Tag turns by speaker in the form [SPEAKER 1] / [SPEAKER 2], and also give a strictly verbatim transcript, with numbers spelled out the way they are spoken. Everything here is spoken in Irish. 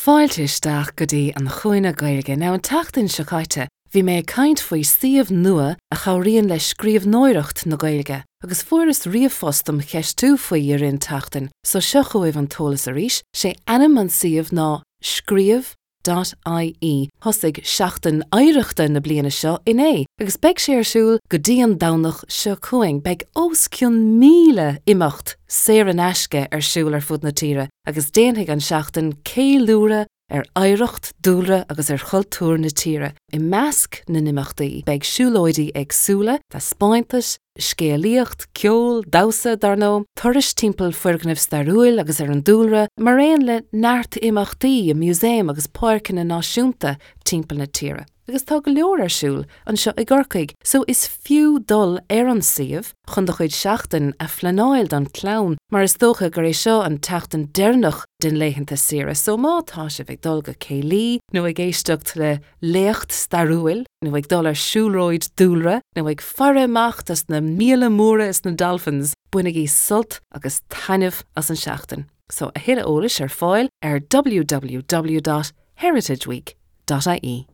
[SPEAKER 1] Fáilte isteach go dtí an Chúinne Gaeilge. Now an tseachtain seo caite, bhí mé ag caint faoi suíomh nua a chabhraíonn le scríbhneoireacht na Gaeilge, agus fuaireas ríomhphost dom cheistiú faoi i rith an tseachtain, so seo chugaibh an t-eolas arís, sé ainm an suíomh ná scríobh dot ie. Thosaigh Seachtain Oidhreachta na bliana seo inné agus beidh sé ar siúl go dtí an Domhnach seo chugainn. Beidh os cionn míle imeacht saor in aisce ar siúl ar fud na tíre agus déanfaidh an seachtain ceiliúradh ar oidhreacht, dúlra agus ar chultúr na tíre. I measc na n-imeachtaí beidh siúlóidí éagsúla, taispeántais, scéalaíocht, ceol, damhsa, dar ndóigh, turais timpeall foirgnimh stairiúil agus ar an dúlra, mar aon le neart imeachtaí i músaeim agus páirceanna náisiúnta timpeall na tíre. Agus tá go leor ar siúl anseo i gCorcaigh, so is fiú dul ar an suíomh chun do chuid seachtain a phleanáil don chlann, mar is dócha gur é seo an tseachtain deireanach den laethanta saoire, so má tá sibh ag dul go céilí nó ag éisteacht le léacht stairiúil nó ag dul ar siúlóid dúlra nó ag faire amach dos na míola móra is na dolphins, bainigí sult agus taitneamh as an seachtain. So a thuilleadh eolais ar fáil ar www dot heritageweek dot ie.